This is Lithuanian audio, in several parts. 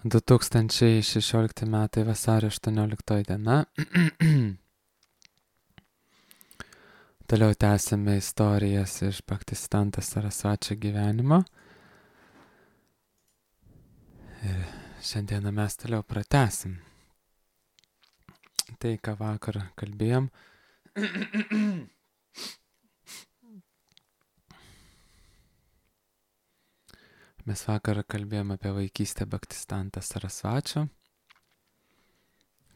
2016 metai vasario 18 diena. Toliau tęsime istorijas iš Bhaktisiddhanta Sarasvačio gyvenimo. Ir šiandieną mes toliau pratęsim tai, ką vakar kalbėjom. Mes vakar kalbėjom apie vaikystę Bhaktisiddhanta Sarasvačio,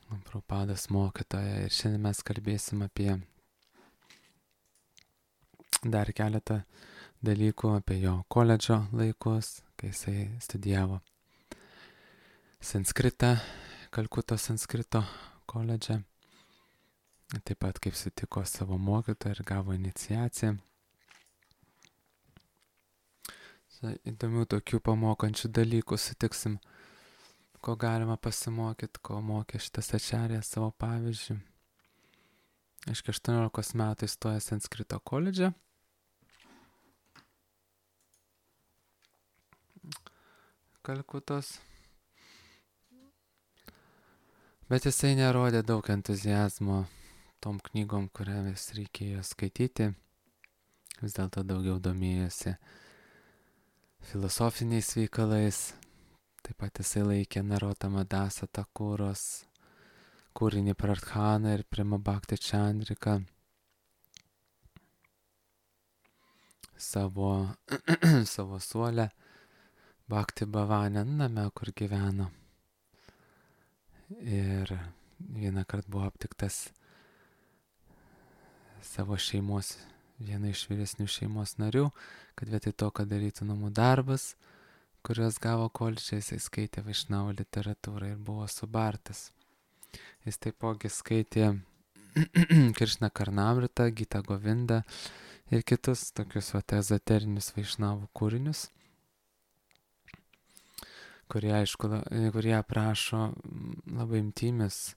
Prabhupados mokytoją, ir šiandien mes kalbėsim apie dar keletą dalykų, apie jo koledžo laikus, kai jisai studijavo sanskritą, Kalkutos sanskrito koledže, taip pat kaip sutiko savo mokytoją ir gavo iniciaciją. Įdomių tokių pamokančių dalykų sutiksim, ko galima pasimokyti, ko mokė šitas ačarijas savo pavyzdžių. Aiškiai, 18 metų įstoja sanskrito koledže. Kalkutos. Bet jisai nerodė daug entuziazmo tom knygom, kuriamis reikėjo skaityti. Vis dėlto daugiau domėjosi filosofiniais veikalais. Taip pat jisai laikė Narotama Dasa Takuros kūrinį Pradhaną ir Prema Bhakti Chandrika savo suolę Bhakti Bhavane name, kur gyveno. Ir vieną kartą buvo aptiktas savo šeimos, viena iš vyresnių šeimos narių, kad vietoj to, kad darytų namų darbus, kuriuos gavo koledže, jisai skaitė Vaišnavo literatūrą ir buvo subartas. Jis taipogi skaitė Krishna Karnamritą, Gita Govindą ir kitus tokius ezoterinius Vaišnavų kūrinius, kurie aprašo labai intymius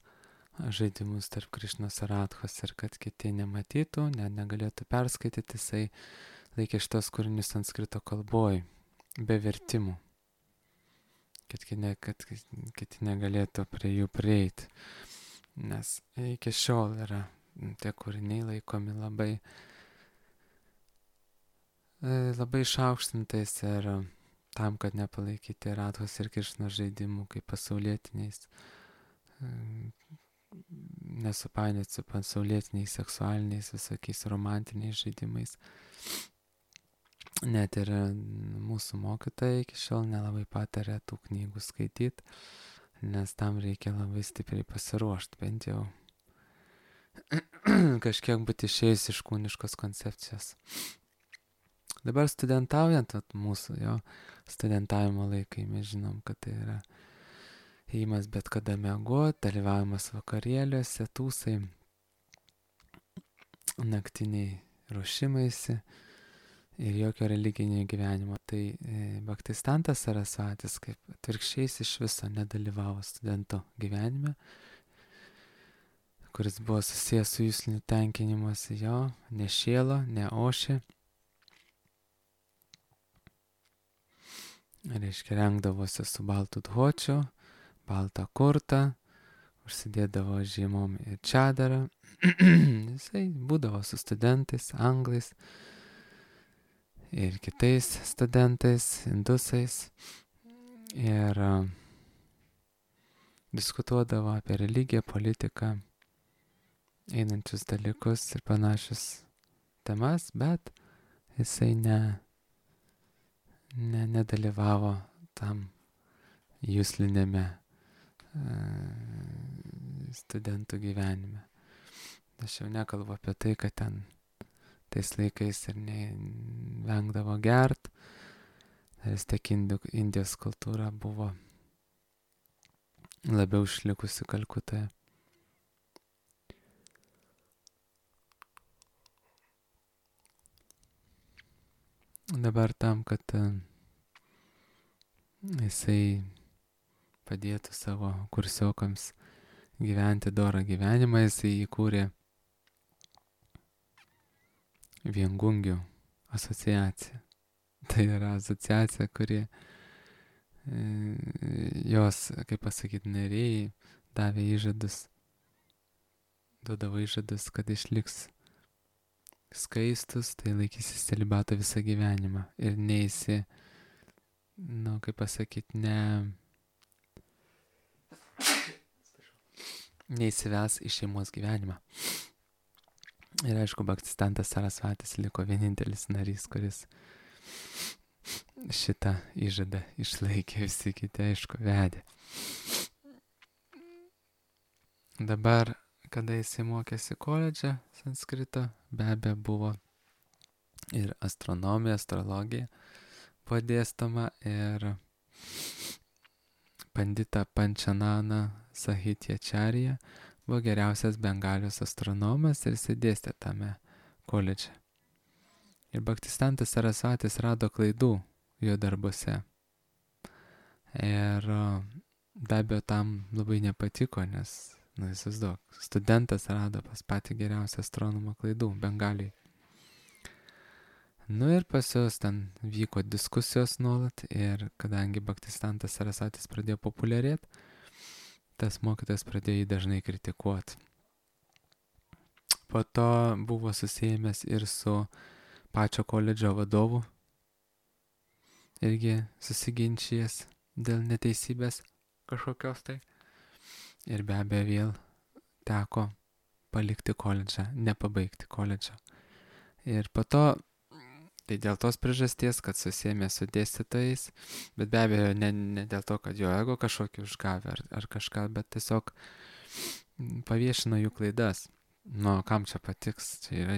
žaidimus tarp Krišnos ir Radhos, ir kad kiti nematytų, negalėtų perskaityti, jisai laikė šitos kūrinius sanskrito kalboj, be vertimų, kad kiti negalėtų prie jų prieiti. Nes iki šiol yra tie kūriniai laikomi labai išaukštintais ir tam, kad nepalaikyti Radhos ir Krišnos žaidimų kaip pasaulietiniais, nesupainioti su pasaulietiniais seksualiniais visokiais romantiniais žaidimais. Net ir mūsų mokytojai iki šiol nelabai patarė tų knygų skaityti, nes tam reikia labai stipriai pasiruošti, bent jau kažkiek būti išėjus iš kūniškos koncepcijos. Dabar studentaujant, mūsų studentavimo laikai, mes žinom, kad tai yra ėjimas bet kada miegot, dalyvavimas vakarėliuose, tūsai, naktiniai ruošimaisi ir jokio religinio gyvenimo. Tai Bhaktisiddhantas Sarasvatis kaip atvirkščiais iš viso nedalyvavo studento gyvenime, kuris buvo susijęs su jusliniu tenkinimuose, jo nešėlo, neošė. Reiškia, rengdavosi su baltu dhočiu, baltą kurtą, užsidėdavo žiemom ir čadarą. Jisai būdavo su studentais, anglais ir kitais studentais, indusais, ir diskutuodavo apie religiją, politiką, einančius dalykus ir panašius temas, bet jisai nedalyvavo tam juslinėme studentų gyvenime. Aš jau nekalbu apie tai, kad ten tais laikais ir vengdavo gert, vis tiek Indijos kultūra buvo labiau išlikusi Kalkutoje. Dabar tam, kad jisai padėtų savo kursiokams gyventi dorą gyvenimą, jisai įkūrė Viengungių asociaciją. Tai yra asociacija, kuri jos, kaip pasakyti, nariai davė įžadus, duodavo įžadus, kad išliks skaistus, tai laikysis celibato visą gyvenimą ir kaip pasakyti, neįsives į šeimos gyvenimą. Ir aišku, Bhaktistantas Sarasvatis liko vienintelis narys, kuris šitą įžadą išlaikė, visi kiti, aišku, vedė. Dabar, kada jisai mokėsi koledže sanskrito, be abejo buvo ir astronomija, astrologija buvo dėstoma ir Pandita Panchanana Sahityačarya buvo geriausias Bengalijos astronomas ir jisai dėstė tame koledže. Ir Bhaktistantas Sarasvatis rado klaidų jo darbuose. Ir be abejo tam labai nepatiko, nes, įsivaizduok, studentas rado pas patį geriausią astronomą klaidų Bengalijai. Ir pas juos ten vyko diskusijos nuolat ir kadangi Bhaktistantas Sarasvatis pradėjo populiarėti, tas mokytojas pradėjo jį dažnai kritikuoti. Po to buvo susijęs ir su pačio koledžo vadovu, irgi susiginčijęs dėl neteisybės kažkokios tai. Ir be abejo vėl teko palikti koledžą, nepabaigti koledžą. Ir po to, tai dėl tos priežasties, kad susėmė su dėstytojais, bet be abejo ne dėl to, kad jo ego kažkokį užgavė ar kažką, bet tiesiog paviešino jų klaidas. Kam čia patiks, čia yra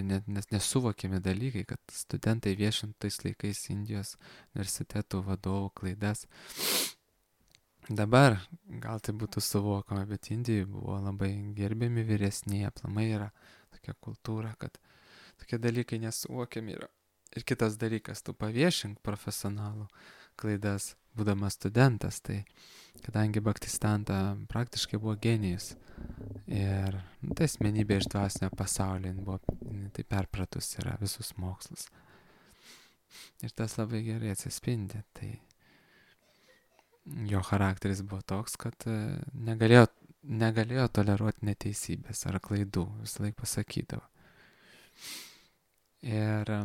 nesuvokiami dalykai, kad studentai viešintų tais laikais Indijos universitetų vadovų klaidas. Dabar gal tai būtų suvokama, bet Indijai buvo labai gerbiami vyresniai, aplamai yra tokia kultūra, kad tokie dalykai nesuvokiami yra. Ir kitas dalykas, tu paviešink profesionalų klaidas, būdamas studentas, tai kadangi Bhaktistanta praktiškai buvo genijus ir tai asmenybė iš dvasinio pasaulio, tai perpratus yra visus mokslus. Ir tas labai gerai atsispindi, tai jo charakteris buvo toks, kad negalėjo toleruoti neteisybės ar klaidų, visą laiką pasakydavo. Ir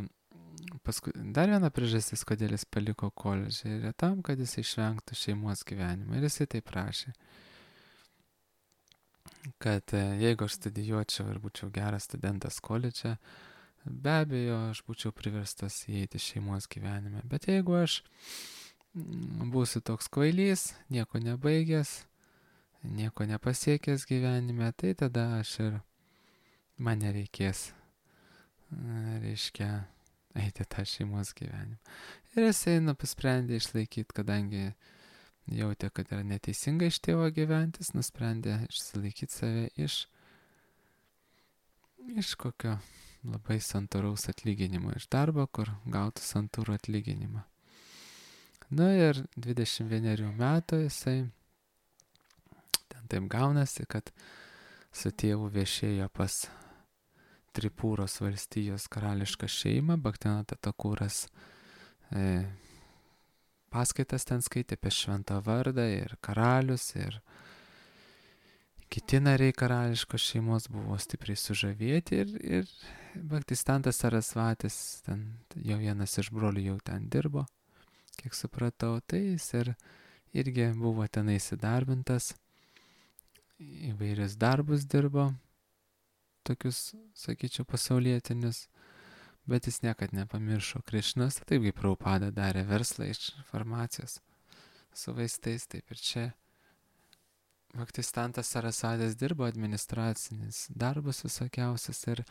paskui dar viena priežastis, kodėl jis paliko koledžą, yra tam, kad jis išvengtų šeimos gyvenimą. Ir jisai taip prašė, kad jeigu aš studijuočiau ir būčiau geras studentas koledže, be abejo, aš būčiau priverstas įeiti šeimos gyvenime. Bet jeigu aš būsiu toks kvailys, nieko nebaigęs, nieko nepasiekęs gyvenime, tai tada man nereikės, reiškia, eiti tą šeimos gyvenimą. Ir jisai nusprendė išlaikyti, kadangi jautė, kad yra neteisinga iš tėvo gyventis, nusprendė išsilaikyti save iš kokio labai santūraus atlyginimo, iš darbo, kur gautų santūrų atlyginimą. Ir 21 metų jisai, ten taip gaunasi, kad su tėvu viešėjo pas Tripūros valstijos karališką šeimą, Bhaktivinoda Thakuras paskaitas ten skaitė apie šventą vardą ir karalius ir kiti nariai karališkos šeimos buvo stipriai sužavėti ir Bhaktistantas Sarasvatis, ten jau vienas iš brolių jau ten dirbo, kiek supratau, tai jis irgi buvo ten įsidarbintas, įvairius darbus dirbo, tokius, sakyčiau, pasaulietinius, bet jis niekad nepamiršo Krišnos, taip kaip Prabhupada darė verslą iš farmacijos su vaistais, taip ir čia Bhaktistantas Sarasvatis dirbo administracinis darbus visokiausias ir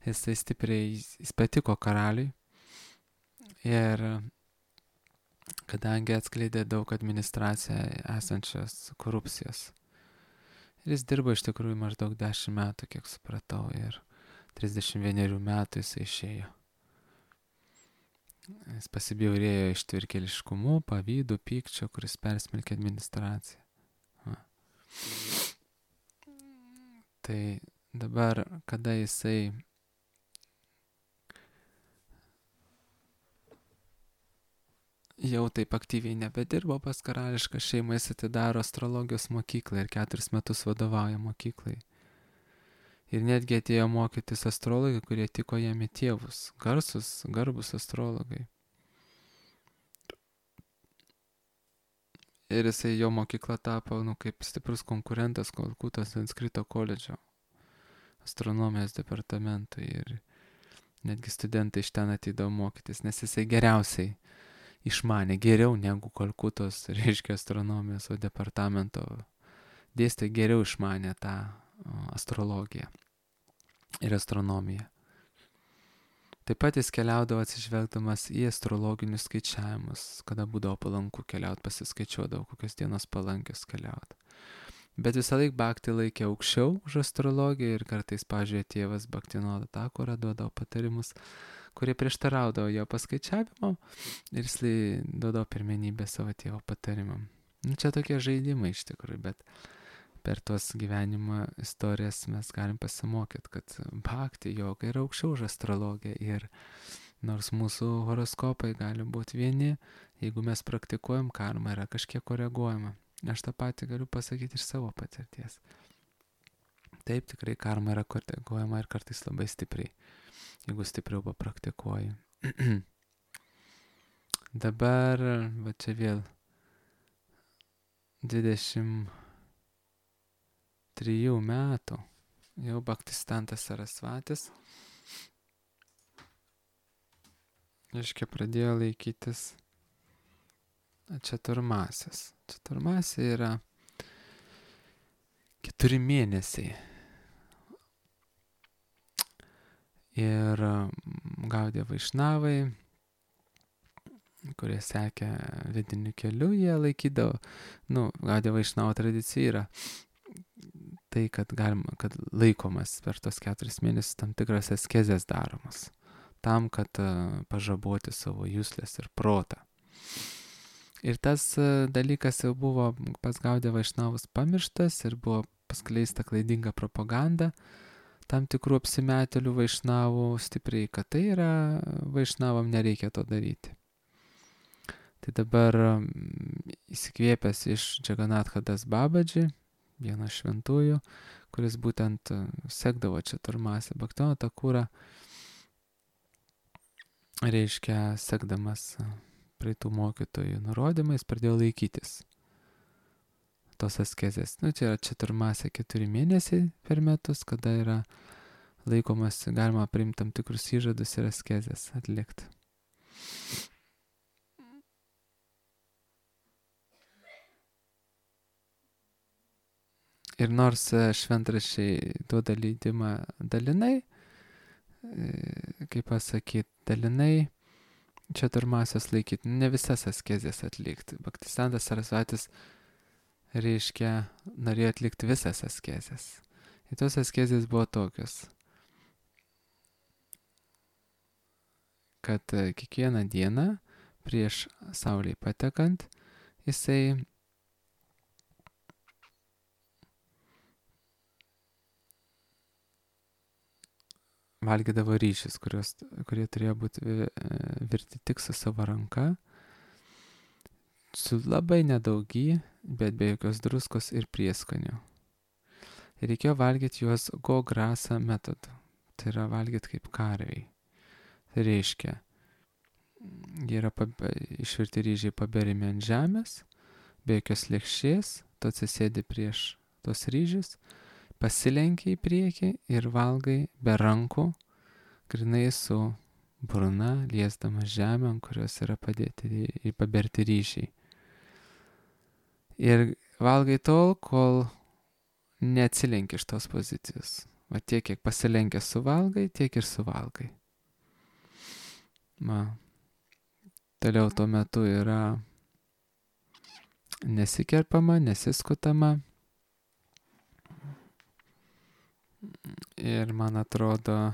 jis patiko karaliui ir kadangi atskleidė daug administracijoje esančios korupcijos. Ir jis dirbo iš tikrųjų maždaug 10 metų, kiek supratau, ir 31 metų jis išėjo. Jis pasibjaurėjo ištvirkėliškumu, pavydu, pykčio, kuris persmelkė administraciją. Tai dabar, kada jisai jau taip aktyviai nebedirbo pas karališką šeimą, jis atidaro astrologijos mokyklą ir 4 metus vadovauja mokyklai. Ir netgi atėjo mokytis astrologai, kurie tiko jam į tėvus, garbus astrologai. Ir jisai jo mokykla tapo, kaip stiprus konkurentas Kalkutos Sanskrito koledžo astronomijos departamentui. Ir netgi studentai iš ten ateidavo mokytis, nes jisai geriausiai išmanė, geriau negu Kalkutos, reiškia, astronomijos departamento dėstytojai geriau išmanė tą astrologiją ir astronomiją. Taip pat jis keliaudavo atsižvelgdamas į astrologinius skaičiavimus, kada būdavo palanku keliauti, pasiskaičiuodavo, kokios dienos palankios keliauti. Bet visą laiką Bhakti laikė aukščiau už astrologiją ir kartais, pavyzdžiui, tėvas Bhaktinoda Thakura duodavo patarimus, kurie prieštaraudavo jo paskaičiavimo ir jis duodavo pirmenybę savo tėvo patarimam. Čia tokie žaidimai iš tikrųjų, bet per tuos gyvenimo istorijas mes galim pasimokyti, kad Bhakti joga yra aukščiau už astrologiją ir nors mūsų horoskopai gali būti vieni, jeigu mes praktikuojam, karma yra kažkiek koreguojama. Aš tą patį galiu pasakyti iš savo patirties. Taip, tikrai karma yra koreguojama ir kartais labai stipriai, jeigu stipriau papraktikuoji. Dabar, va čia vėl 23 metų jau Bhaktisiddhanta Sarasvatis, reiškia, pradėjo laikytis čaturmasės. Čaturmasė yra 4 mėnesiai. Ir Gaudiya Vaišnavai, kurie sekė vidiniu keliu, jie laikydavo, Gaudiya Vaišnavo tradicija yra tai, kad laikomas per tos 4 mėnesius tam tikras askezės daromas, tam, kad pažaboti savo juslės ir protą. Ir tas dalykas jau buvo pas Gaudiya Vaišnavus pamirštas ir buvo paskleista klaidinga propaganda tam tikrų apsimetėlių Vaišnavų stipriai, kad tai yra Vaišnavam nereikia to daryti. Tai dabar įsikvėpęs iš Jagannath Das Babaji, vienas šventųjų, kuris būtent sekdavo čaturmasę Bhaktivinoda Thakurą, reiškia, sekdamas praeitų mokytojų nurodymais, pradėjo laikytis tos askezės. Čia yra čaturmasė 4 mėnesiai per metus, kada yra laikomas, galima priimti tam tikrus įžadus ir askezės atlikti. Ir nors šventraščiai duoda leidimą dalinai, kaip pasakyti, dalinai čaturmasės laikyti, ne visas askezės atlikti. Bhaktisiddhanta Sarasvatis, reiškia, norėjo atlikti visas askezės. Ir tos askezės buvo tokios, kad kiekvieną dieną prieš saulei patekant jisai valgydavo ryžius, kurie turėjo būti virti tik su savo ranka, su labai nedaug, bet be jokios druskos ir prieskonių. Ir reikėjo valgyti juos go-grasa metodu. Tai yra valgyti kaip karviai. Tai reiškia, jie yra išvirti ryžiai paberimi ant žemės, be jokios lėkštės, tu atsisėdi prieš tos ryžius, pasilenki į priekį ir valgai be rankų, grinai su burna, liesdamas žemę, ant kurios yra padėti ir paberti ryžiai. Ir valgai tol, kol neatsilenki iš tos pozicijos. Va tiek, kiek pasilenkęs suvalgai, tiek ir suvalgai. Toliau tuo metu yra nesikerpama, nesiskutama. Ir man atrodo,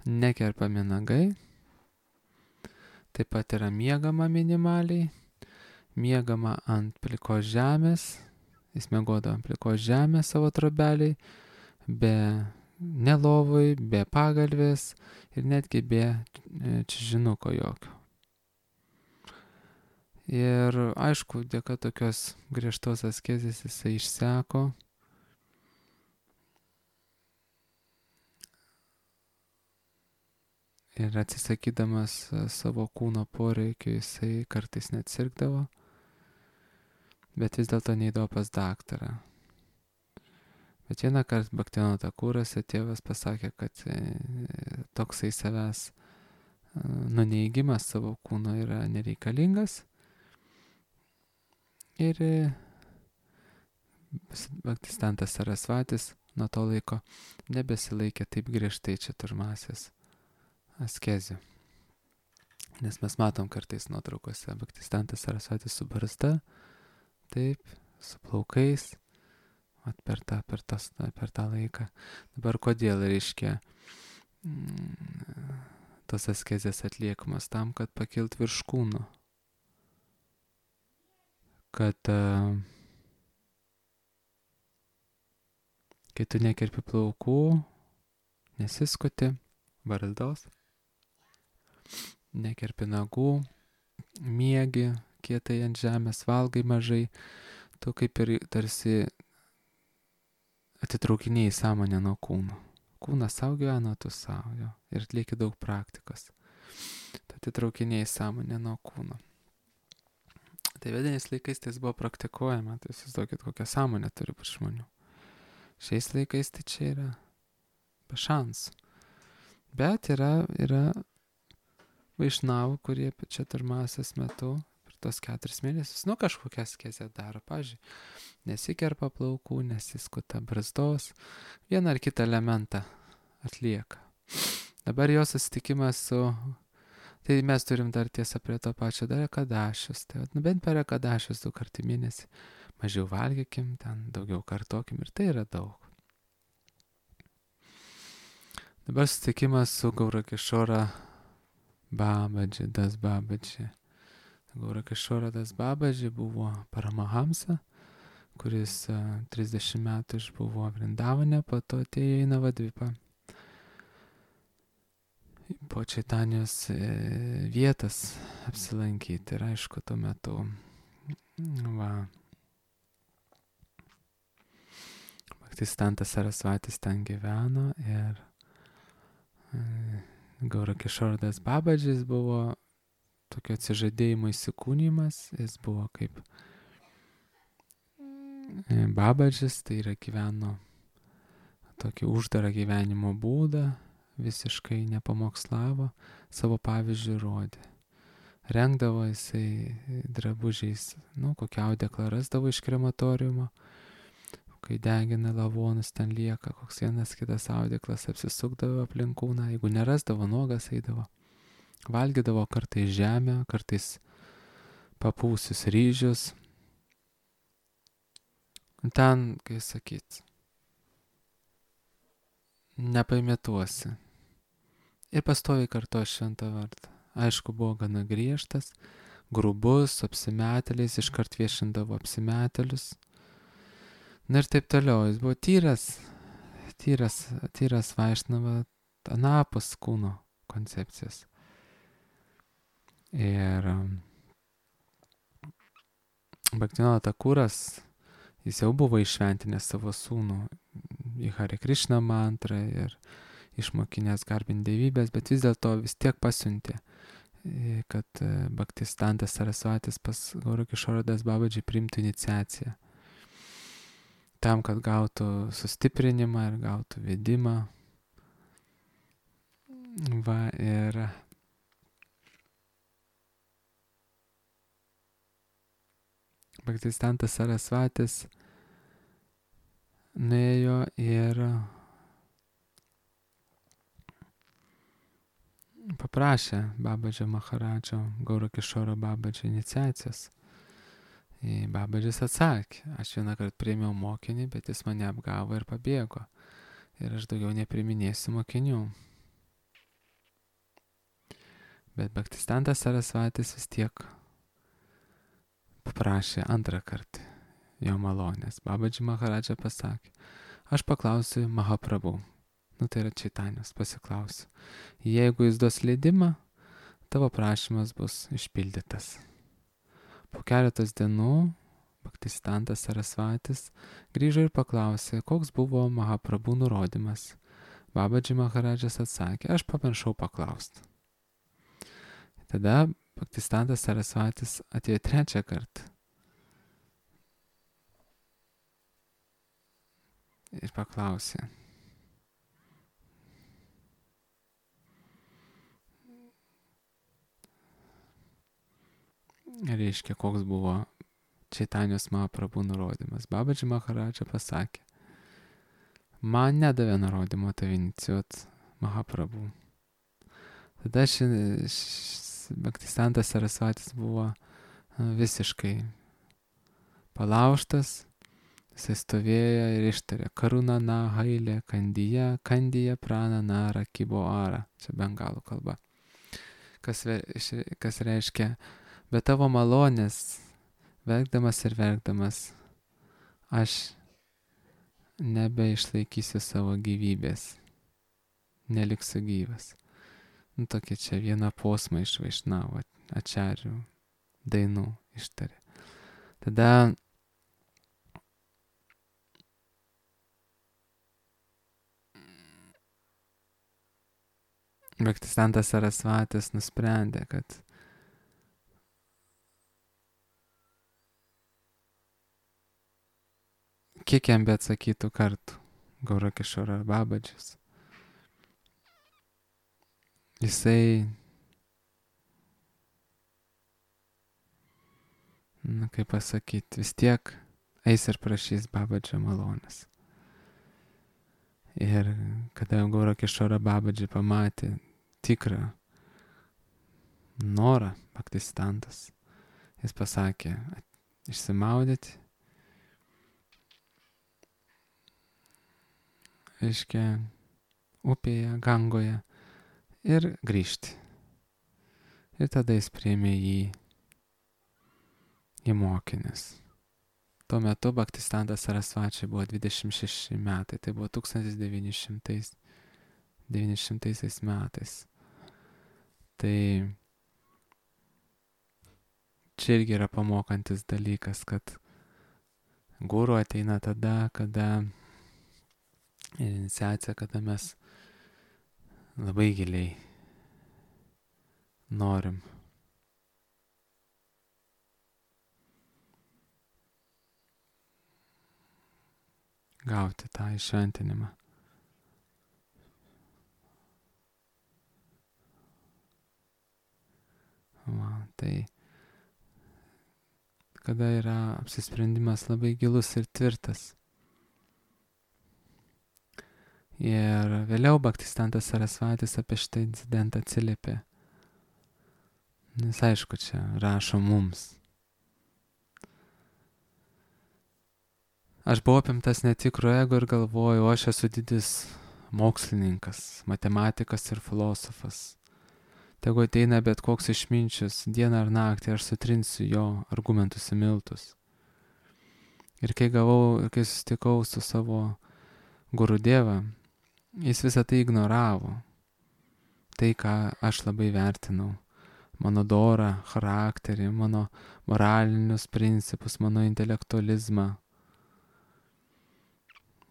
nekerpami nagai. Taip pat yra miegama minimaliai. Miegama ant plikos žemės. Jis miegodavo ant plikos žemės savo trobeliai, be ne lovoj, be pagalvės ir netgi be čižinuko jokio. Ir aišku, dėka tokios griežtos askezės jisai išseko. Ir atsisakydamas savo kūno poreikio jisai kartais net sirgdavo, bet vis dėlto neįdavo pas daktarą. Bet vieną kartą Bhaktivinoda Thakurase tėvas pasakė, kad toksai savęs nuneigimas savo kūno yra nereikalingas. Ir Bhaktisiddhantas Sarasvatis nuo to laiko nebesilaikė taip griežtai čaturmasės askezių. Nes mes matom kartais nuotraukose Bhaktisiddhantas Sarasvatis su barzda, taip, su plaukais, per tą laiką. Dabar kodėl reiškia tos askezės atliekamas tam, kad pakilt virš kūno. Kad kai tu nekerpi plaukų, nesiskuti barzdos, nekerpi nagų, miegi kietai ant žemės, valgai mažai, tu kaip ir tarsi atitraukinėjai sąmonę nuo kūno. Kūnas savo gyvena, tu savo, ir atlieki daug praktikos. Tu atitraukinėjai sąmonę nuo kūno. Tai vediniais laikais tai buvo praktikuojama, tai įsivaizduokit, kokią sąmonę turi būti žmonių. Šiais laikais tai čia yra be šansų. Bet yra vaišnavų, kurie čaturmasės metu per tos 4 mėnesius, kažkokią askezę daro, pavyzdžiui, nesikerpa plaukų, nesiskuta barzdos, vieną ar kitą elementą atlieka. Dabar jo susitikimas su... Tai mes turim dar tiesą prie to pačio dar ekadašius. Tai bent per ekadašius 2 kartų į mėnesį mažiau valgykim, ten daugiau kartokim ir tai yra daug. Dabar susitikimas su Gaurakishora Babaji, Das Babaji. Gaurakishora Das Babaji buvo Paramahamsa, kuris 30 metų išbuvo Vrindavane, po to atėjo į Navadvipą. Po Čaitanijos vietas apsilankyti ir aišku, tuo metu Bhaktisiddhantas Sarasvatis ten gyveno ir Gaurakishora Das Babadžis buvo tokio atsižadėjimo įsikūnymas, jis buvo kaip Babadžis, tai yra gyveno tokį uždarą gyvenimo būdą, visiškai nepamokslavo, savo pavyzdžių rodė. Rengdavo jisai drabužiais, kokią audeklą rasdavo iš krematoriumo, kai degina lavonus, ten lieka koks vienas kitas audeklas, apsisukdavo aplink kūną, jeigu nerasdavo, nuogas eidavo. Valgydavo kartais žemę, kartais papūsius ryžius. Ten, kai sakyt, nepaimėtuosi. Ir pastoviai kartojo šventą vardą. Aišku, buvo gana griežtas, grubus, su apsimetėliais, iškart viešindavo apsimetėlius. Na ir taip toliau, jis buvo tyras vaišnava anapus kūno koncepcijos. Ir Bhaktivinoda Thakuras, jis jau buvo išventinęs savo sūnų į Hare Krishna mantrą ir išmokinęs garbinti dievybės, bet vis dėlto vis tiek pasiuntė, kad Bhaktisiddhantas Sarasvatis pas Gaurakishora Das Babadžį priimtų iniciaciją. Tam, kad gautų sustiprinimą ir gautų vedimą. Ir Bhaktisiddhantas Sarasvatis nuėjo ir paprašė Babadžio Maharadžo, Gaurakishoro Babadžio iniciacijos. Babadžis atsakė, aš vieną kartą priėmiau mokinį, bet jis mane apgavo ir pabėgo. Ir aš daugiau nepriminėsiu mokinių. Bet Bhaktisiddhantas Sarasvatis vis tiek paprašė antrą kartą jo malonės. Babadži Maharadža pasakė, aš paklausiu Mahaprabhu, Tai yra Čaitanijos, pasiklausiu. Jeigu jis duos leidimą, tavo prašymas bus išpildytas. Po keletos dienų Bhaktisiddhantas Sarasvatis grįžo ir paklausė, koks buvo Mahaprabhu nurodymas. Babadži Maharadžas atsakė, aš pamiršau paklausti. Tada Bhaktisiddhantas Sarasvatis atėjo trečią kartą. Ir paklausė. Reiškia, koks buvo Čaitanijos Mahaprabhu nurodymas. Babadži Maharadža pasakė, man nedavė nurodymo tave inicijuot Mahaprabhu. Tada Bhaktisiddhantas Sarasvatis buvo visiškai palaužtas. Jisai stovėjo ir ištarė Karunana Hailė Kandija Pranana Rakibo Ara. Čia bengalų kalba. Kas reiškia, be tavo malonės, verkdamas ir verkdamas, aš nebeišlaikysiu savo gyvybės. Neliksiu gyvas. Tokia čia viena posma iš Vaišnavo ačarių dainų ištarė. Tada Bhaktisiddhantas Sarasvatis nusprendė, kad kiek jam beatsakytų kartų Gaurakishora Babadžis, jisai, kaip pasakyti, vis tiek eis ir prašys Babadžio malonės. Ir kada Gaurakishora Babadži pamatė tikrą norą Bhaktisiddhantas, jis pasakė išsimaudyti, reiškia, upėje, Gangoje ir grįžti. Ir tada jis priėmė jį į mokinis. Tuo metu Bhaktisiddhantas Sarasvačiui buvo 26 metai, tai buvo 1900 metais. Tai čia irgi yra pamokantis dalykas, kad guru ateina tada, kada iniciacija, kada mes labai giliai norim gauti tą įšventinimą. Tai kada yra apsisprendimas labai gilus ir tvirtas. Ir vėliau Bhaktisiddhantas Sarasvatis apie šitą incidentą atsiliepė. Nes aišku, čia rašo mums. Aš buvau apimtas netikro ego ir galvoju, aš esu didis mokslininkas, matematikas ir filosofas. Tegu ateina bet koks išminčius, dieną ar naktį aš sutrinsiu jo argumentus į miltus. Ir kai susitikau su savo Gurudeva, jis visą tai ignoravo. Tai, ką aš labai vertinau. Mano dorą, charakterį, mano moralinius principus, mano intelektualizmą.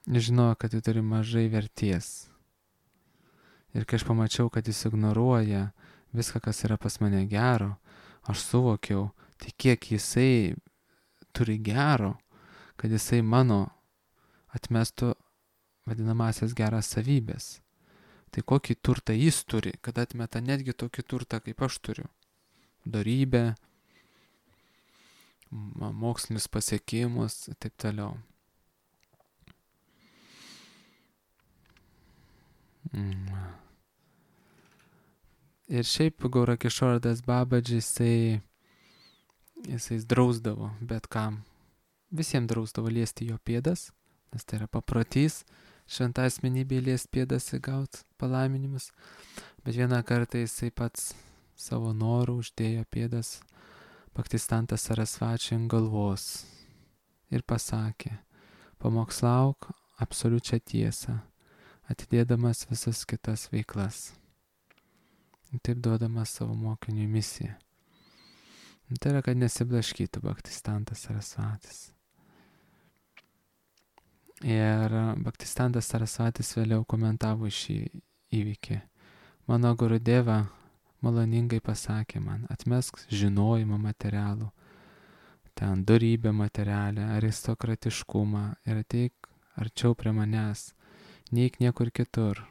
Jis žinojo, kad tai turi mažai verties. Ir kai aš pamačiau, kad jis ignoruoja viską, kas yra pas mane gero, aš suvokiau, tai kiek jisai turi gero, kad jisai mano atmestų vadinamasias geras savybės. Tai kokį turtą jis turi, kad atmeta netgi tokį turtą, kaip aš turiu. Dorybę, mokslinius pasiekimus ir taip toliau. Ir šiaip Gaurakishoras Babadži jisai drausdavo bet kam. Visiems drausdavo liesti jo pėdas, nes tai yra paprotys šventą asmenybę liesti pėdas ir gauti palaiminimus. Bet vieną kartą jisai pats savo norų uždėjo pėdas Bhaktisiddhantas Sarasvačiui ant galvos ir pasakė, pamokslauk absoliučią tiesą. atidėdamas visas kitas veiklas. Taip duodamas savo mokiniui misiją. Tai yra, kad nesiblaškytų Bhaktistantas Sarasvatis. Ir Bhaktistantas Sarasvatis vėliau komentavo šį įvykį. Mano Gurudeva maloningai pasakė man, atmesk žinojimą materialų, ten dorybę materialę, aristokratiškumą ir ateik arčiau prie manęs, neik niekur kitur.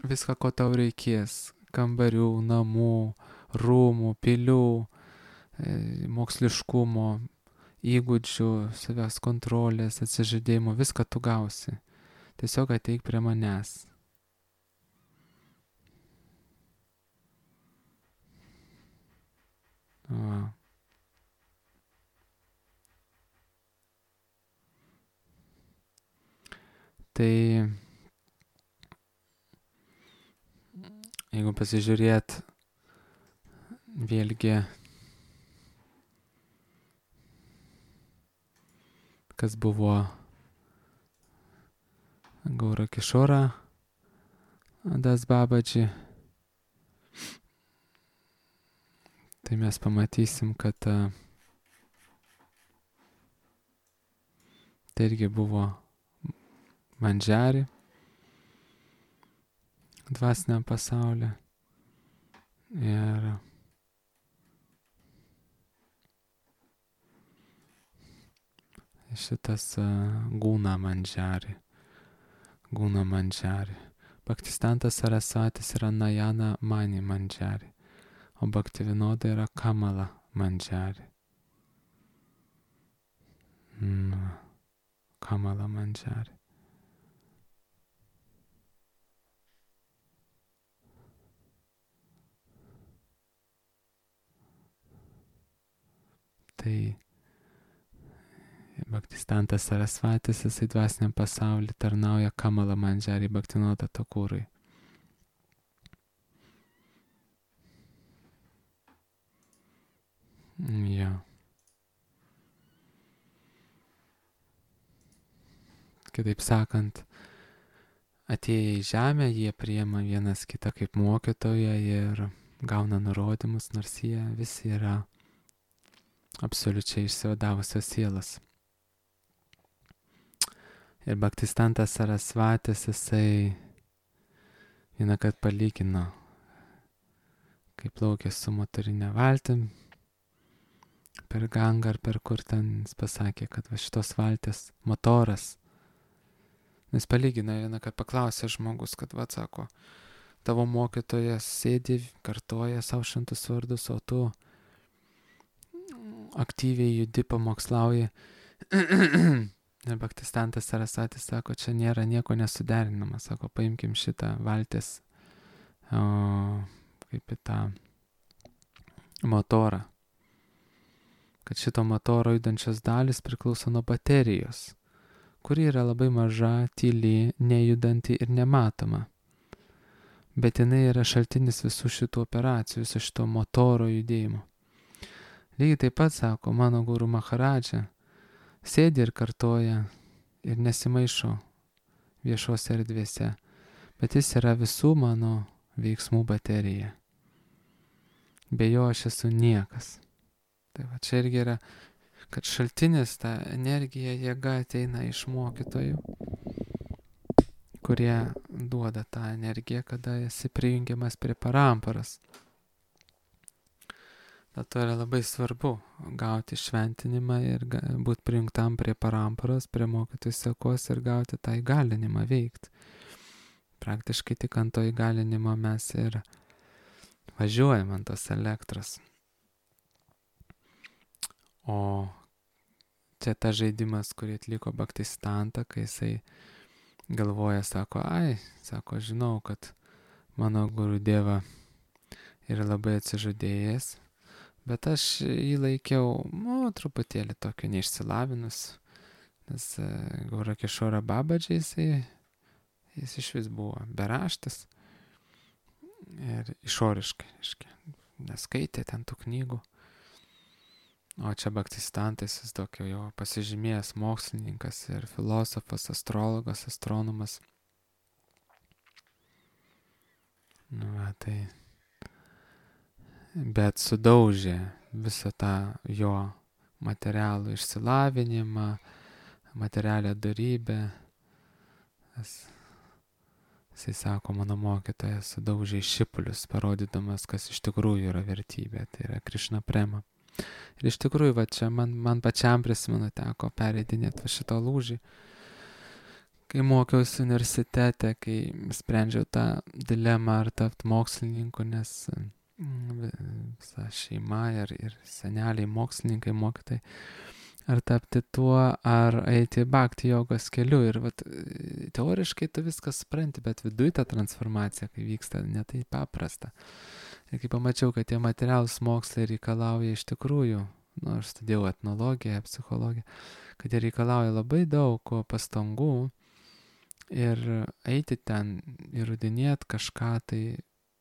Viską, ko tau reikės, kambarių, namų, rūmų, pilių, moksliškumo, įgūdžių, savęs kontrolės, atsižadėjimo, viską tu gausi. Tiesiog ateik prie manęs. Va. Tai jeigu pasižiūrėt vėlgi, kas buvo Gaura Kishora Das Babaji, tai mes pamatysim, kad tai irgi buvo mandžiari dvasiniam pasaulyje. Ir šitas Guna mandžiari. Bhaktistantas Sarasvatis yra Najana Mani mandžiari, o Bhaktivinoda yra Kamala mandžiari. Kamala mandžiari. Tai Bhaktistantas Sarasvatis, jisai dvasiniam pasaulyje tarnauja Kamala mandžiari Bhaktivinoda Thakurui. Jo. Kitaip sakant, atėję į žemę, jie priima vienas kitą kaip mokytoją ir gauna nurodymus, nors jie visi yra absoliučiai išsivadavusios sielas. Ir Bhaktistantas Sarasvatis, jisai vienąkart palygino, kaip plaukė su motorinė valtim per Gangą ar per kur ten, jis pasakė, kad va šitos valties motoras. Jis palygino vienąkart, paklausė žmogus, kad va, sako, tavo mokytojas sėdi, kartoja savo šventus vardus, o tu aktyviai judi, pamokslauji. Ir Bhaktistantas Sarasvatis sako, čia nėra nieko nesuderinama. Sako, paimkim šitą valties, kaip į tą motorą. Kad šito motoro judančios dalis priklauso nuo baterijos, kuri yra labai maža, tyli, nejudanti ir nematoma. Bet jinai yra šaltinis visų šitų operacijų, viso šito motoro judėjimo. Lygiai taip pat, sako, mano Guru Maharadža sėdi ir kartoja ir nesimaišo viešose erdvėse, bet jis yra visų mano veiksmų baterija. Be jo aš esu niekas. Tai va čia irgi yra, kad šaltinis, ta energija, jėga ateina iš mokytojų, kurie duoda tą energiją, kada esi prijungiamas prie paramparos. Dėl to yra labai svarbu gauti šventinimą ir būti prijungtam prie paramparos, prie mokytojų sekos ir gauti tą įgalinimą veikti. Praktiškai tik ant to įgalinimo mes ir važiuojam ant tos elektros. O čia ta žaidimas, kurį atliko Bhaktistanta, kai jisai galvoja, sako, sako, žinau, kad mano Gurudeva yra labai atsižadėjęs, bet aš jį laikiau, truputėlį tokio neišsilavinus, nes Gaura Kishora Babaji, jis iš vis buvo beraštis ir išoriškai, neskaitė ten tų knygų. O čia Bhaktisiddhantas, jis tokio jo pasižymėjęs mokslininkas ir filosofas, astrologas, astronomas. Tai bet sudaužė visą tą jo materialų išsilavinimą, materialią darybę. Jisai sako, mano mokytojas sudaužė šipulius, parodydamas, kas iš tikrųjų yra vertybė, tai yra Krišna prema. Ir iš tikrųjų, va čia man pačiam prisimenu teko pereidinėti šitą lūžį, kai mokiausi universitete, kai sprendžiau tą dilemą ar tapti mokslininku, nes visa šeima ir seneliai, mokslininkai, mokytojai, ar tapti tuo, ar eiti bhakti jogos keliu. Ir vat, teoriškai tu viską supranti, bet viduj ta transformacija, kai vyksta, ne tai paprasta. Ir kai pamačiau, kad tie materialūs mokslai reikalauja iš tikrųjų, aš studijau etnologiją, psichologiją, kad jie reikalauja labai daug pastangų ir eiti ten, įrodinėti kažką tai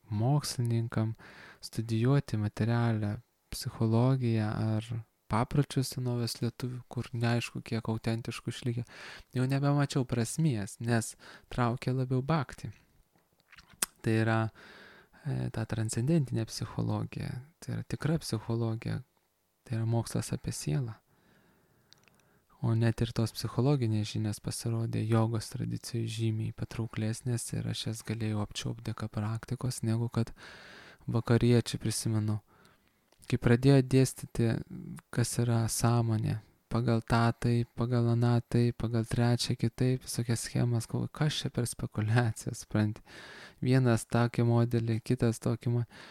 mokslininkam, studijuoti materialią psichologiją ar papročius senovės lietuvių, kur neaišku, kiek autentiškų išlikę, jau nebemačiau prasmės, nes traukia labiau bhakti. Tai yra ta transcendentinė psichologija, tai yra tikra psichologija, tai yra mokslas apie sielą. O net ir tos psichologinės žinias pasirodė jogos tradicijų žymiai patrauklesnės ir aš jas galėjau apčiuopti dėka praktikos, negu kad vakariečiai, prisimenu, kai pradėjo dėstyti, kas yra sąmonė, pagal tą taip, pagal aną taip, pagal trečią kitaip, visokias schemas, kas čia per spekulaciją, supranti. Vienas tokį modelį, kitas tokį modelį.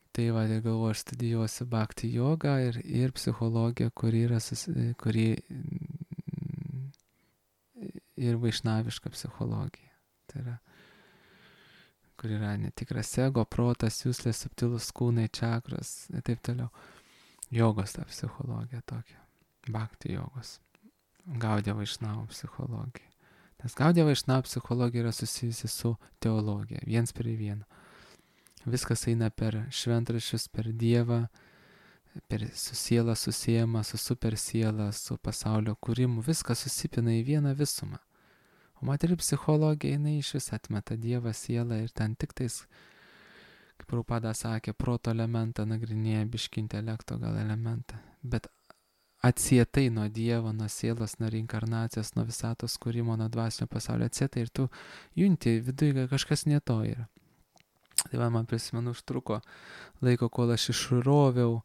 Tai va, galvoju, aš studijuosiu bhakti jogą ir psichologiją, kuri ir vaišnaviška psichologija. Tai yra, kur yra netikras ego, protas, jūslės, subtilus kūnai, čakros ir taip toliau. Jogos ta psichologija tokia. Bhakti jogos. Gaudija vaišnavų psichologija. Nes Gaudija vaišnavų psichologija yra susijusi su teologija. Viens prie vieno. Viskas eina per šventraščius, per Dievą, su siela susijama, su super siela, su pasaulio kūrimu. Viskas susipina į vieną visumą. O materiali psichologija, jinai iš vis atmeta Dievą, sielą ir ten tik tais, kaip Prabhupada sakė, proto elementą nagrinėja, biškį intelekto gal elementą. Bet atsietai nuo Dievo, nuo sielos, nuo reinkarnacijos, nuo visatos kūrimo, nuo dvasinio pasaulio atsietai ir tu junti viduje kažkas ne to yra. Tai man prisimenu, užtruko laiko, kol aš išroviau,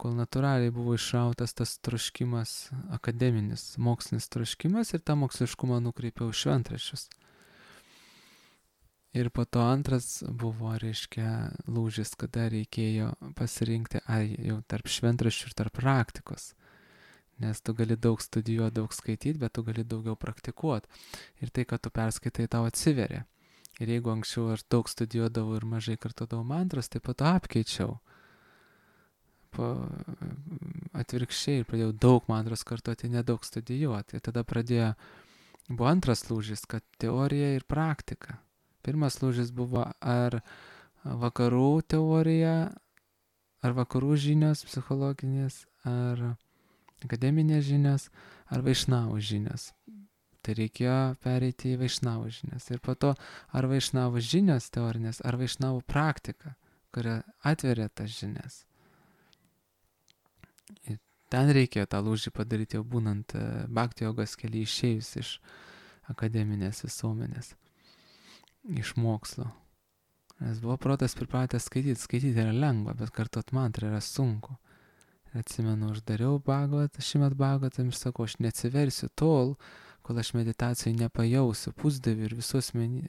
kol natūraliai buvo išrautas tas troškimas, akademinis, mokslinis troškimas ir tą moksliškumą nukreipiau šventraščius. Ir po to antras buvo, reiškia, lūžis, kada reikėjo pasirinkti jau tarp šventraščių ir tarp praktikos. Nes tu gali daug studijuoti, daug skaityti, bet tu gali daugiau praktikuoti. Ir tai, kad tu perskaitai, tau atsiveria. Ir jeigu anksčiau aš daug studijuodavau ir mažai kartodavau mantras, tai po to apkeičiau. Atvirkščiai ir pradėjau daug mantros kartoti, nedaug studijuoti. Ir tada buvo antras lūžis, kad teorija ir praktika. Pirmas lūžis buvo ar vakarų teorija, ar vakarų žinios psichologinės, ar akademinės žinios, ar vaišnavų žinios. Tai reikėjo pereiti į vaišnavų žinias. Ir po to, ar vaišnavų žinios teorinės, ar vaišnavų praktika, kuria atveria tas žinias. Ir ten reikėjo tą lūžį padaryti jau būnant bhakti jogos kelyje, išėjus iš akademinės visuomenės, iš mokslo. Nes buvo protas pripratęs skaityti. Skaityti yra lengva, bet kartot mantrą yra sunku. Ir atsimenu, aš dariau Šrimad Bhagavatam ir sakau, aš neatsiversiu tol, kol aš meditacijai nepajausiu pusdievių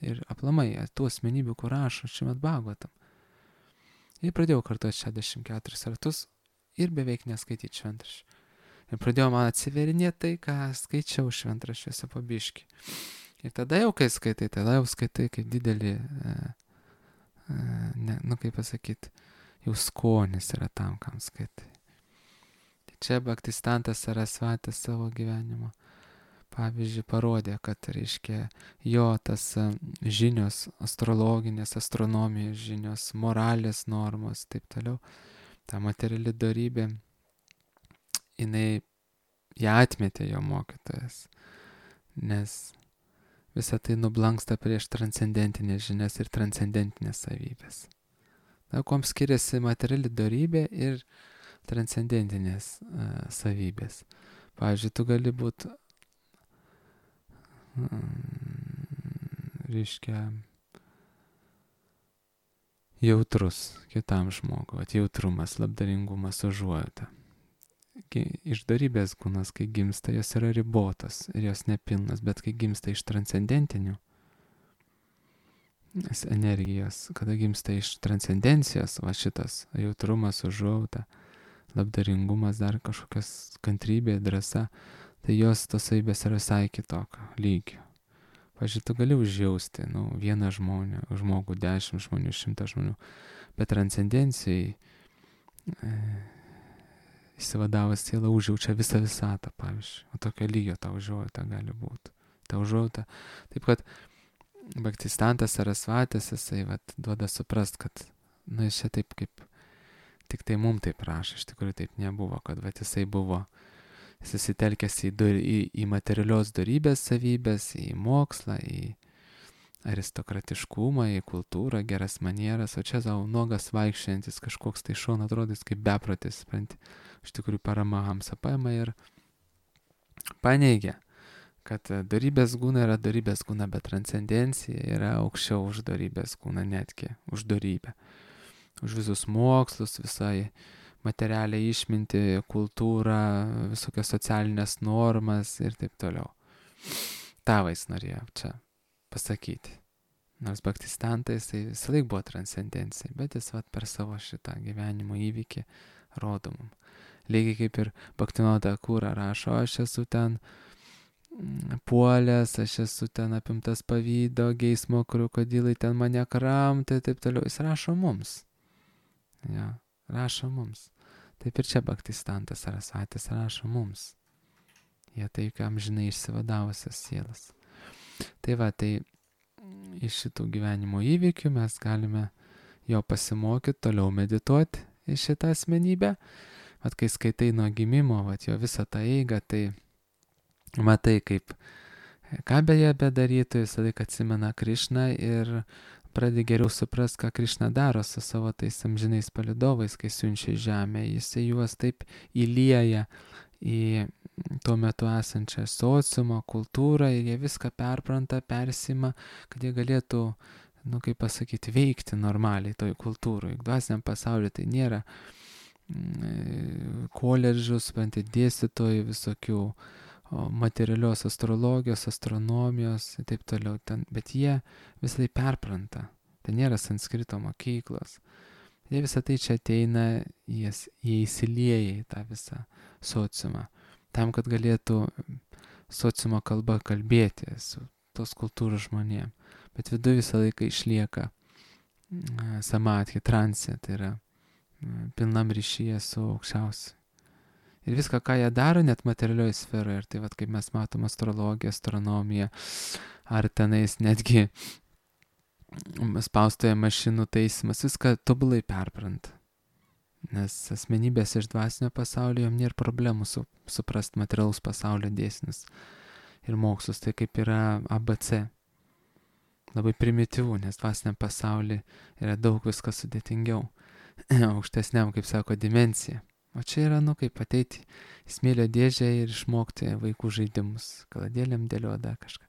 ir aplamai tų asmenybių, kur rašo Šrimad Bhagavatam. Ir pradėjau kartuoti 64 ratus ir beveik neskaityti šventraščių. Ir pradėjau man atsiverinėti tai, ką skaičiau šventraščiuose po biškį. Ir tada jau, kai skaitai, kaip didelį, kaip pasakyti, jau skonis yra tam, kam skaitai. Tai čia Bhaktisiddhantas Sarasvatis savo gyvenimo pavyzdžiui parodė, kad, reiškia, jo tas žinios, astrologinės, astronomijos žinios, moralės normos, taip toliau, ta materiali dorybė, ją atmetė jo mokytojas, nes visa tai nublanksta prieš transcendentinės žinias ir transcendentinės savybės. Kuom skiriasi materiali dorybė ir transcendentinės savybės. Pavyzdžiui, tu gali būti, jautrus kitam žmogui, jautrumas, labdaringumas, užuojauta. Iš dorybės kūnas, kai gimsta, jos yra ribotos ir jos nepilnas, bet kai gimsta iš transcendentinių energijos, kada gimsta iš transcendencijos, va šitas jautrumas, užuojauta, labdaringumas, dar kažkokios kantrybė, drąsa, tai jos tos savybės yra visai kitokio lygio. Pavyzdžiui, tu gali užjausti, vieną žmogų, 10 žmonių, 100 žmonių, bet transcendencijai įsivadavęs siela užjaučia visą visatą, pavyzdžiui. O tokio lygio ta užuojauta gali būti. Ta užuojauta. Taip kad Bhaktistantas Sarasvatis, jisai duoda suprast, kad, jis čia taip kaip, tik tai mum taip rašo, iš tikrųjų taip nebuvo, kad jisai buvo susitelkęs į materialios dorybės savybės, į mokslą, į aristokratiškumą, į kultūrą, geras manieras, o čia savo nuogas vaikščiantis kažkoks tai šon atrodys kaip beprotis, supranti. Iš tikrųjų Paramahamsa paima ir paneigia, kad dorybės guna yra dorybės guna, bet transcendencija yra aukščiau už dorybės guna, netgi už dorybę. Už visus mokslus, visai materialią išmintį, kultūrą, visokias socialinės normas ir taip toliau. Ta jis norėjo čia pasakyti. Nors Bhaktistantas tai visą laik buvo transcendencija, bet jis per savo šitą gyvenimo įvykį rodo mum. Lygiai kaip ir Bhaktivinoda Thakura rašo, aš esu ten puolęs, aš esu ten apimtas pavydo, geismo, krokodilai ten mane kramto ir taip toliau. Jis rašo mums. Ja, rašo mums. Taip ir čia Bhaktistantas Sarasvatis rašo mums. Jie tai, kam žinai, išsivadavusios sielas. Tai tai iš šitų gyvenimo įvykių mes galime jo pasimokyti, toliau medituoti į šitą asmenybę. Kai skaitai nuo gimimo, jo visą tą eigą, tai matai, kaip, ką beje bedarytų, jis laik atsimena Krišną ir pradedi geriau suprast, ką Krišna daro su savo tais amžinais palydovais, kai siunčia į žemę. Jisai juos taip įlieja į tuo metu esančią sociumą, kultūrą ir jie viską perpranta, persima, kad jie galėtų, kaip pasakyti, veikti normaliai toj kultūroj. Dvasiniam pasauliu tai nėra koledžų, dėstytojų visokių materialios astrologijos, astronomijos ir taip toliau, bet jie visą tai perpranta. Tai nėra sanskrito mokyklos. Jie visą tai čia ateina, jie įsilieja į tą visą sociumą, tam, kad galėtų sociumo kalba kalbėti su tos kultūros žmonėm. Bet viduje visą laiką išlieka samadhi, transė, tai yra pilnam ryšyje su aukščiausiu. Ir viską, ką jie daro, net materialioje sferoje. Ir tai kaip mes matom astrologiją, astronomiją, ar tenais netgi spaustoje mašinų taisymas, viską tobulai perpranta. Nes asmenybės iš dvasinio pasaulio jom nėra problemų suprast materialaus pasaulio dėsnius ir mokslus. Tai kaip yra ABC. Labai primityvų, nes dvasiniam pasaulyje yra daug viskas sudėtingiau. Aukštesniam, kaip sako, dimensija. O čia yra, kaip ateiti į smėlio dėžę ir išmokti vaikų žaidimus, kaladėlėm dėliodą kažką.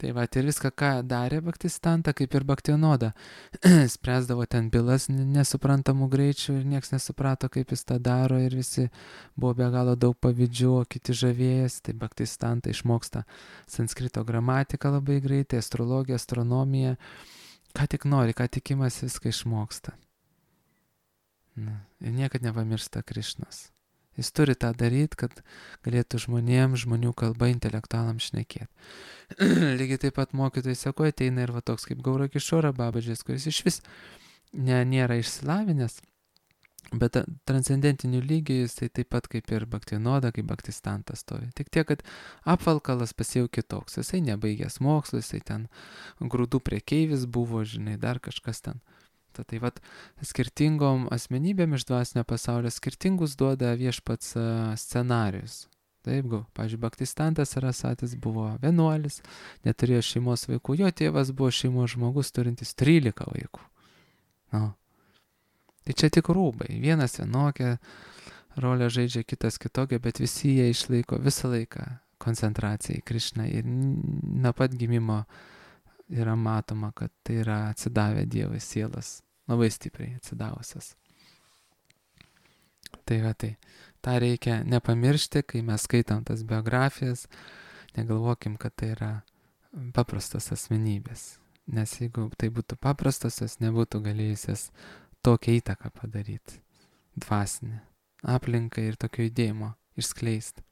Tai ir viską, ką darė Bhaktistanta, kaip ir Bhaktivinoda, spręsdavo ten bylas nesuprantamų greičių ir nieks nesuprato, kaip jis tą daro ir visi buvo be galo daug pavydžių, o kiti žavėjęs. Tai Bhaktistanta išmoksta sanskrito gramatiką labai greitai, astrologiją, astronomiją, ką tik nori, ką tik imasi, viską išmoksta. Ir niekad nepamiršta Krišnos. Jis turi tą daryti, kad galėtų žmonių kalba intelektualam šnekėti. Lygiai taip pat mokytojai sako, ateina ir toks kaip Gaura Kišora Babadžis, kuris iš vis nėra išsilavinęs, bet transcendentinių lygių jis tai taip pat kaip ir Bhaktivinoda, kaip Bhaktistantas stovi. Tik tiek, kad apvalkalas pas jau kitoks. Jisai nebaigęs mokslus, jisai ten grūdų prekeivis buvo, žinai, dar kažkas ten. Tai vat skirtingom asmenybėm iš dvasinio pasaulio skirtingus duoda viešpats scenarius. Taip, pavyzdžiui, Bhaktistantas Sarasatis buvo vienuolis, neturėjo šeimos vaikų, jo tėvas buvo šeimos žmogus turintis 13 vaikų. No. Tai čia tik rūbai, vienas vienokia rolę žaidžia, kitas kitokia, bet visi jie išlaiko visą laiką koncentraciją į Krišną ir nuo pat gimimo yra matoma, kad tai yra atsidavę Dievui sielas, labai stipriai atsidavusios. Tai va tai. Ta reikia nepamiršti, kai mes skaitam tas biografijas, negalvokim, kad tai yra paprastos asmenybės. Nes jeigu tai būtų paprastosios, nebūtų galėjusios tokią įtaką padaryti. Dvasinę aplinką ir tokio judėjimo išskleisti.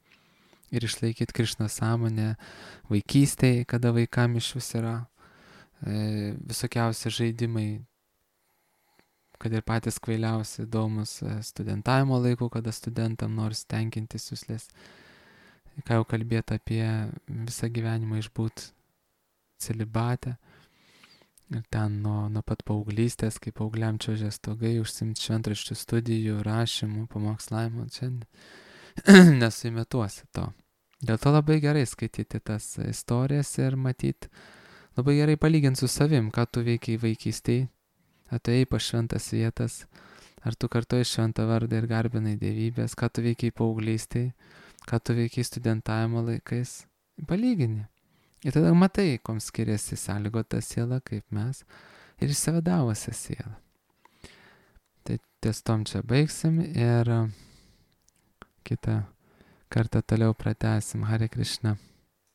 Ir išlaikyti Krišnos sąmonę vaikystėje, kada vaikam iš vis yra visokiausi žaidimai, kad ir patys kvailiausi įdomus studentavimo laikų, kada studentam nors tenkinti suslės. Ką jau kalbėti apie visą gyvenimą išbūt celibate. Ir ten nuo pat paauglystės, kai paaugliam čiuožė stogai, užsimti šventraščių studijų, rašymų, pamokslavimų, čia nesuimetuosi to. Dėl to labai gerai skaityti tas istorijas ir matyti, labai gerai palyginti su savim, ką tu veikiai vaikystėje, atėjai po šventas vietas, ar tu kartuoji šventą vardą ir garbinai dievybės, ką tu veikiai paauglystėje, ką tu veikiai studentavimo laikais, palygini. Ir tada matai, kom skiriasi sąlygota siela, kaip mes, ir išsivadavusią sielą. Tai ties tom čia baigsim ir kitą kartą toliau pratęsim. Hare Krishna.